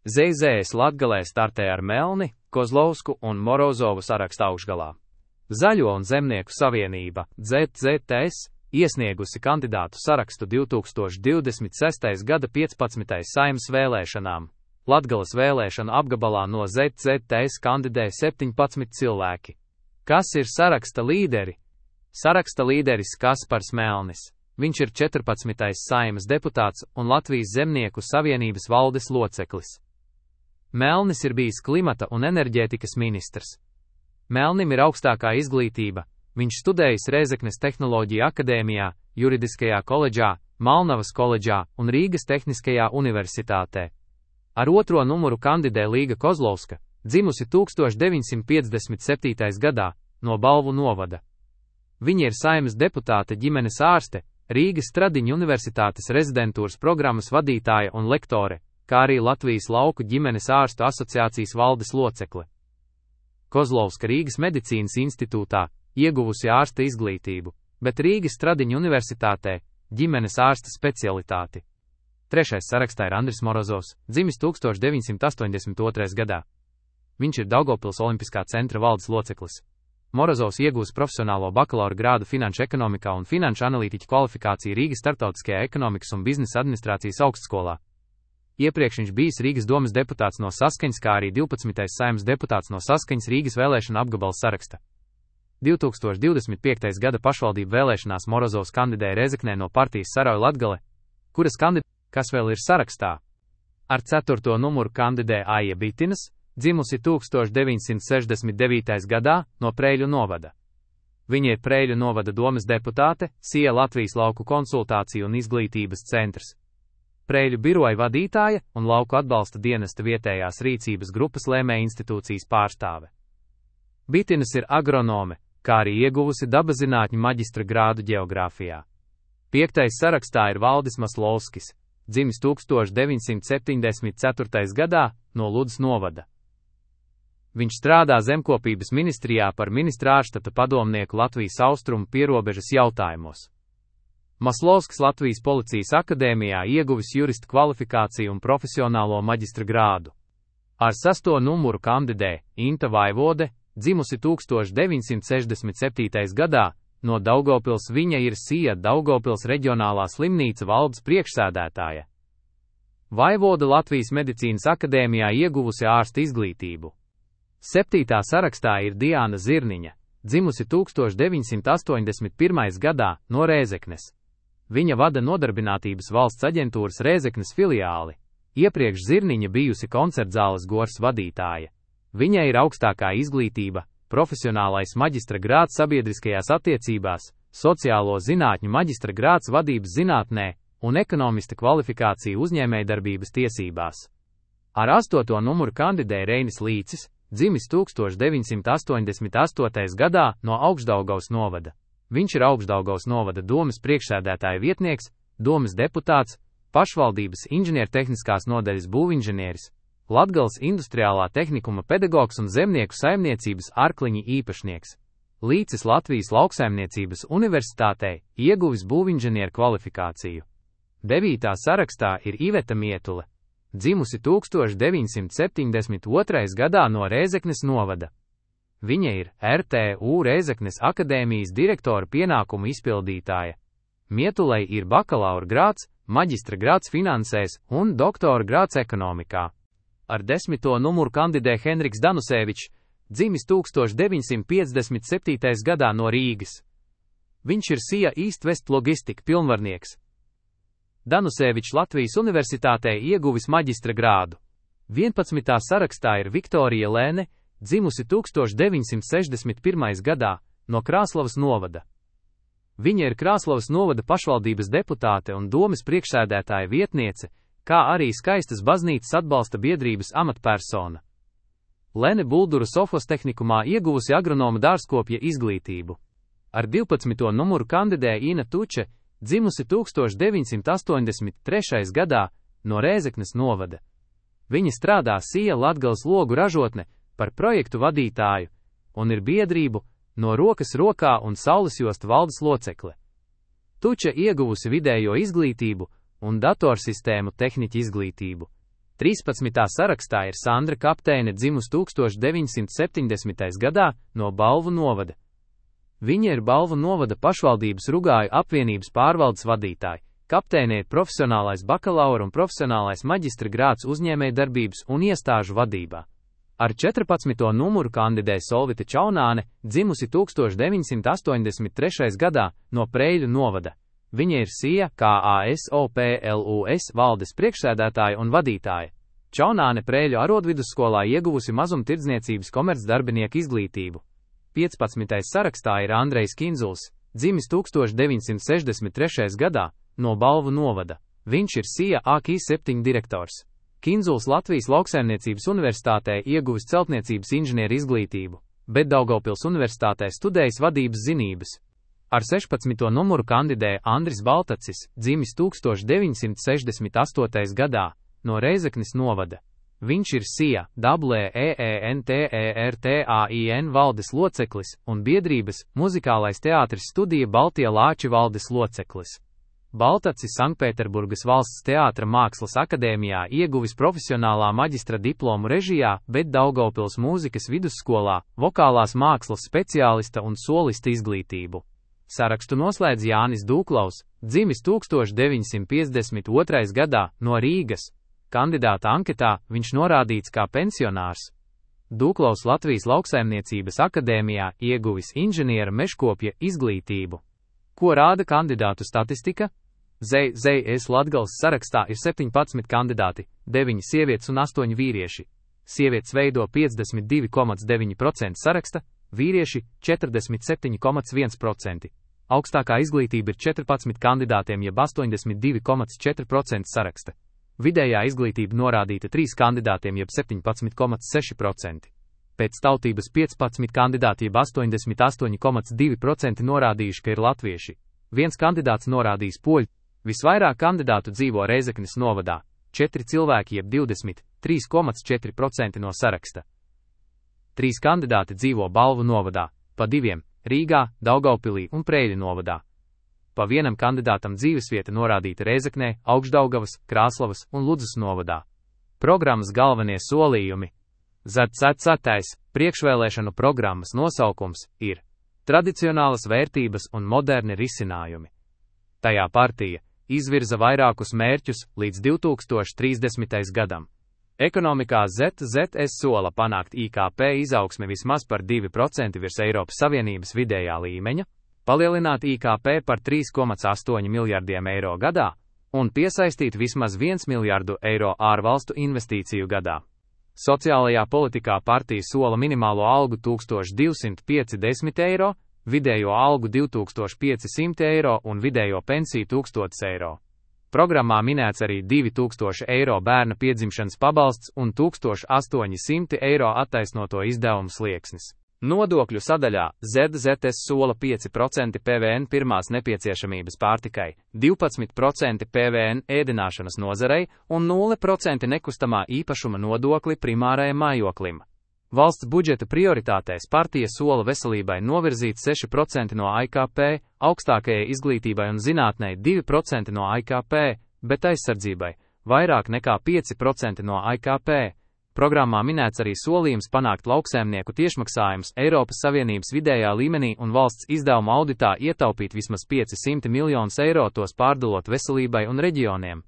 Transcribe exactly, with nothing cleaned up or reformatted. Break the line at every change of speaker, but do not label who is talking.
Z Z S Latgalē startē ar Melni, Kozlovsku un Morozovu saraksta augšgalā. Zaļo un Zemnieku savienība Z Z S iesniegusi kandidātu sarakstu divi tūkstoši divdesmit sestā gada piecpadsmitajām Saeimas vēlēšanām. Latgales vēlēšanu apgabalā no Z Z S kandidē septiņpadsmit cilvēki. Kas ir saraksta līderi? Saraksta līderis Kaspars Melnis. Viņš ir četrpadsmitais Saeimas deputāts un Latvijas Zemnieku savienības valdes loceklis. Melnis ir bijis klimata un enerģētikas ministrs. Melnim ir augstākā izglītība. Viņš studējis Rēzeknes Tehnoloģiju akadēmijā, Juridiskajā koledžā, Malnavas koledžā un Rīgas Tehniskajā universitātē. Ar otro numuru kandidē Līga Kozlovska, dzimusi tūkstoš deviņsimt piecdesmit septītajā gadā, no Balvu novada. Viņa ir Saeimas deputāte, ģimenes ārste, Rīgas Stradiņu universitātes rezidentūras programmas vadītāja un lektore, kā arī Latvijas lauku ģimenes ārstu asociācijas valdes locekle. Kozlovska Rīgas medicīnas institūtā ieguvusi ārsta izglītību, bet Rīgas Stradiņu universitātē ģimenes ārsta specialitāti. Trešais sarakstā ir Andris Morozovs, dzimis tūkstoš deviņsimt astoņdesmit otrajā gadā. Viņš ir Daugavpils Olimpiskā centra valdes loceklis. Morozovs iegūs profesionālo bakalaura grādu finanšu ekonomikā un finanšu analītiķa kvalifikāciju Rīgas Startautiskajā ekonomikas un biznesa administrācijas augstskolā. Iepriekš viņš bijis Rīgas domes deputāts no Saskaņas, kā arī divpadsmitais Saeimas deputāts no Saskaņas Rīgas vēlēšana apgabala saraksta. divi tūkstoši divdesmit piektajā gada pašvaldību vēlēšanās Morozovs kandidēja Rēzeknē no partijas Saroja Latgale, kuras kandidāts, kas vēl ir sarakstā. Ar ceturto numuru kandidē Aija Bitinas, dzimusi tūkstoš deviņsimt sešdesmit devītajā gadā, no Preiļu novada. Viņa ir Preiļu novada domes deputāte, S I A Latvijas lauku konsultāciju un izglītības centrs. Preiļu biroja vadītāja un lauku atbalsta dienesta vietējās rīcības grupas lēmēja institūcijas pārstāve. Bitinas ir agronome, kā arī ieguvusi dabaszinātņu maģistra grādu ģeogrāfijā. Piektais sarakstā ir Valdis Maslovskis, dzimis tūkstoš deviņsimt septiņdesmit ceturtajā gadā, no Ludzas novada. Viņš strādā zemkopības ministrijā par ministra ārštata padomnieku Latvijas austrumu pierobežas jautājumos. Maslovskis Latvijas Policijas akadēmijā ieguvis jurista kvalifikāciju un profesionālo maģistra grādu. Ar sesto numuru kandidē Inta Vaivode, dzimusi tūkstoš deviņsimt sešdesmit septītajā gadā, no Daugavpils. Viņa ir S I A Daugavpils reģionālā slimnīca valdes priekšsēdētāja. Vaivoda Latvijas medicīnas akadēmijā ieguvusi ārsta izglītību. Septītā sarakstā ir Diāna Zirniņa, dzimusi tūkstoš deviņsimt astoņdesmit pirmajā gadā, no Rēzeknes. Viņa vada Nodarbinātības valsts aģentūras Rēzeknes filiāli. Iepriekš Zirniņa bijusi koncertzāles Gors vadītāja. Viņai ir augstākā izglītība, profesionālais maģistra grāds sabiedriskajās attiecībās, sociālo zinātņu maģistra grāds vadības zinātnē un ekonomista kvalifikācija uzņēmējdarbības tiesībās. Ar astoto numuru kandidē Reinis Līcis, dzimis tūkstoš deviņsimt astoņdesmit astotajā gadā, no Augšdaugavas novada. Viņš ir Augšdaugavas novada domes priekšsēdētāja vietnieks, domes deputāts, pašvaldības inženiertehniskās nodaļas būvinženieris, Latgales industriālā tehnikuma pedagogs un zemnieku saimniecības Arkliņi īpašnieks. Līcis Latvijas lauksaimniecības universitātē ieguvis būvinženieru kvalifikāciju. Devītā sarakstā ir Iveta Mietule, dzimusi tūkstoš deviņsimt septiņdesmit otrajā gadā, no Rēzeknes novada. Viņa ir R T U Rēzeknes akadēmijas direktora pienākumu izpildītāja. Mietulei ir bakalaura grāds, maģistra grāds finansēs un doktora grāds ekonomikā. Ar desmito numuru kandidē Henriks Danusevičs, dzimis tūkstoš deviņsimt piecdesmit septītajā gadā, no Rīgas. Viņš ir S I A East West logistika pilnvarnieks. Danusevičs Latvijas universitātē ieguvis maģistra grādu. vienpadsmitā sarakstā ir Viktorija Lēne, dzimusi tūkstoš deviņsimt sešdesmit pirmajā gadā, no Krāslavas novada. Viņa ir Krāslavas novada pašvaldības deputāte un domes priekšsēdētāja vietniece, kā arī Skaistas baznīcas atbalsta biedrības amatpersona. Lene Buldura Sofos tehnikumā ieguvusi agronoma dārzkopja izglītību. Ar divpadsmito numuru kandidē Ina Tuče, dzimusi tūkstoš deviņsimt astoņdesmit trešajā gadā, no Rēzeknes novada. Viņa strādā S I A Latgales logu ražotne par projektu vadītāju un ir biedrību No rokas rokā un saulesjostu valdes locekle. Tuče ieguvusi vidējo izglītību un datorsistēmu tehniķa izglītību. trīspadsmitā sarakstā ir Sandra Kapteine, dzimusi tūkstoš deviņsimt septiņdesmitajā gadā no Balvu novada. Viņa ir Balvu novada pašvaldības Rugāju apvienības pārvaldes vadītāja. Kapteine ir profesionālais bakalaura un profesionālais maģistra grāds uzņēmējdarbības un iestāžu vadībā. Ar četrpadsmito numuru kandidē Solvita Čaunāne, dzimusi tūkstoš deviņsimt astoņdesmit trešajā gadā no Preiļu novada. Viņa ir S I A KASOPLUS valdes priekšsēdētāja un vadītāja. Čaunāne Preiļu arodvidusskolā ieguvusi mazumtirdzniecības komercdarbinieku izglītību. piecpadsmitajā sarakstā ir Andrejs Kinzuls, dzimis tūkstoš deviņsimt sešdesmit trešajā gadā no Balvu novada. Viņš ir S I A A K I septiņi direktors. Kinzuls Latvijas Lauksaimniecības universitātē ieguvis celtniecības inženieru izglītību, bet Daugavpils universitātē studējis vadības zinības. Ar sešpadsmito numuru kandidē Andris Baltacis, dzimis tūkstoš deviņsimt sešdesmit astotajā gadā no Reizeknes novada. Viņš ir S I A DEENTERTAIN valdes loceklis un biedrības Muzikālais teātris Studija Baltie Lāči valdes loceklis. Baltacis Sanktpēterburgas valsts teātra mākslas akadēmijā ieguvis profesionālā maģistra diplomu režijā, bet Daugavpils mūzikas vidusskolā vokālās mākslas speciālista un solista izglītību. Sarakstu noslēdz Jānis Dūklaus, dzimis tūkstoš deviņsimt piecdesmit otrajā gadā no Rīgas. Kandidāta anketā viņš norādīts kā pensionārs. Dūklaus Latvijas Lauksaimniecības akadēmijā ieguvis inženiera mežkopja izglītību. Ko rāda kandidātu statistika? Z Z S Latgales sarakstā ir septiņpadsmit kandidāti, deviņi sievietes un astoņi vīrieši. Sievietes veido piecdesmit divi komats deviņi procenti saraksta, vīrieši četrdesmit septiņi komats viens procents. Augstākā izglītība ir četrpadsmit kandidātiem jeb astoņdesmit divi komats četri procenti saraksta. Vidējā izglītība norādīta trīs kandidātiem jeb septiņpadsmit komats seši procenti. Pēc tautības piecpadsmit kandidāti jeb astoņdesmit astoņi komats divi procenti norādījuši, ka ir latvieši. Viens kandidāts norādījis poļu. Visvairāk kandidātu dzīvo Reizeknes novadā – četri cilvēki jeb divdesmit trīs komats četri procenti no saraksta. Trīs kandidāti dzīvo Balvu novadā, pa diviem – Rīgā, Daugavpilī un Preiļu novadā. Pa vienam kandidātam dzīvesvieta norādīta Reizeknē, Augšdaugavas, Krāslavas un Ludzas novadā. Programmas galvenie solījumi. ZCCtais priekšvēlēšanu programmas nosaukums ir Tradicionālas vērtības un moderni risinājumi. Tajā partija izvirza vairākus mērķus līdz divi tūkstoši trīsdesmitajam gadam. Ekonomikā Z Z S sola panākt I K P izaugsmi vismaz par divi procenti virs Eiropas Savienības vidējā līmeņa, palielināt I K P par trīs komats astoņi miljardiem eiro gadā un piesaistīt vismaz viens miljardu eiro ārvalstu investīciju gadā. Sociālajā politikā partija sola minimālo algu tūkstoš divsimt piecdesmit eiro, vidējo algu divi tūkstoši piecsimt eiro un vidējo pensiju tūkstotis eiro. Programmā minēts arī divi tūkstoši eiro bērna piedzimšanas pabalsts un tūkstoš astoņi simti eiro attaisnoto izdevumu slieksnis. Nodokļu sadaļā Z Z S sola pieci procenti P V N pirmās nepieciešamības pārtikai, divpadsmit procenti P V N ēdināšanas nozarei un nulle procenti nekustamā īpašuma nodokli primārajam mājoklim. Valsts budžeta prioritātēs partija sola veselībai novirzīt seši procenti no I K P, augstākajai izglītībai un zinātnei divi procenti no I K P, bet aizsardzībai vairāk nekā pieci procenti no I K P. Programmā minēts arī solījums panākt lauksaimnieku tiešmaksājumus Eiropas Savienības vidējā līmenī un valsts izdevuma auditā ietaupīt vismaz piecsimt miljonus eiro, tos pārdalot veselībai un reģioniem.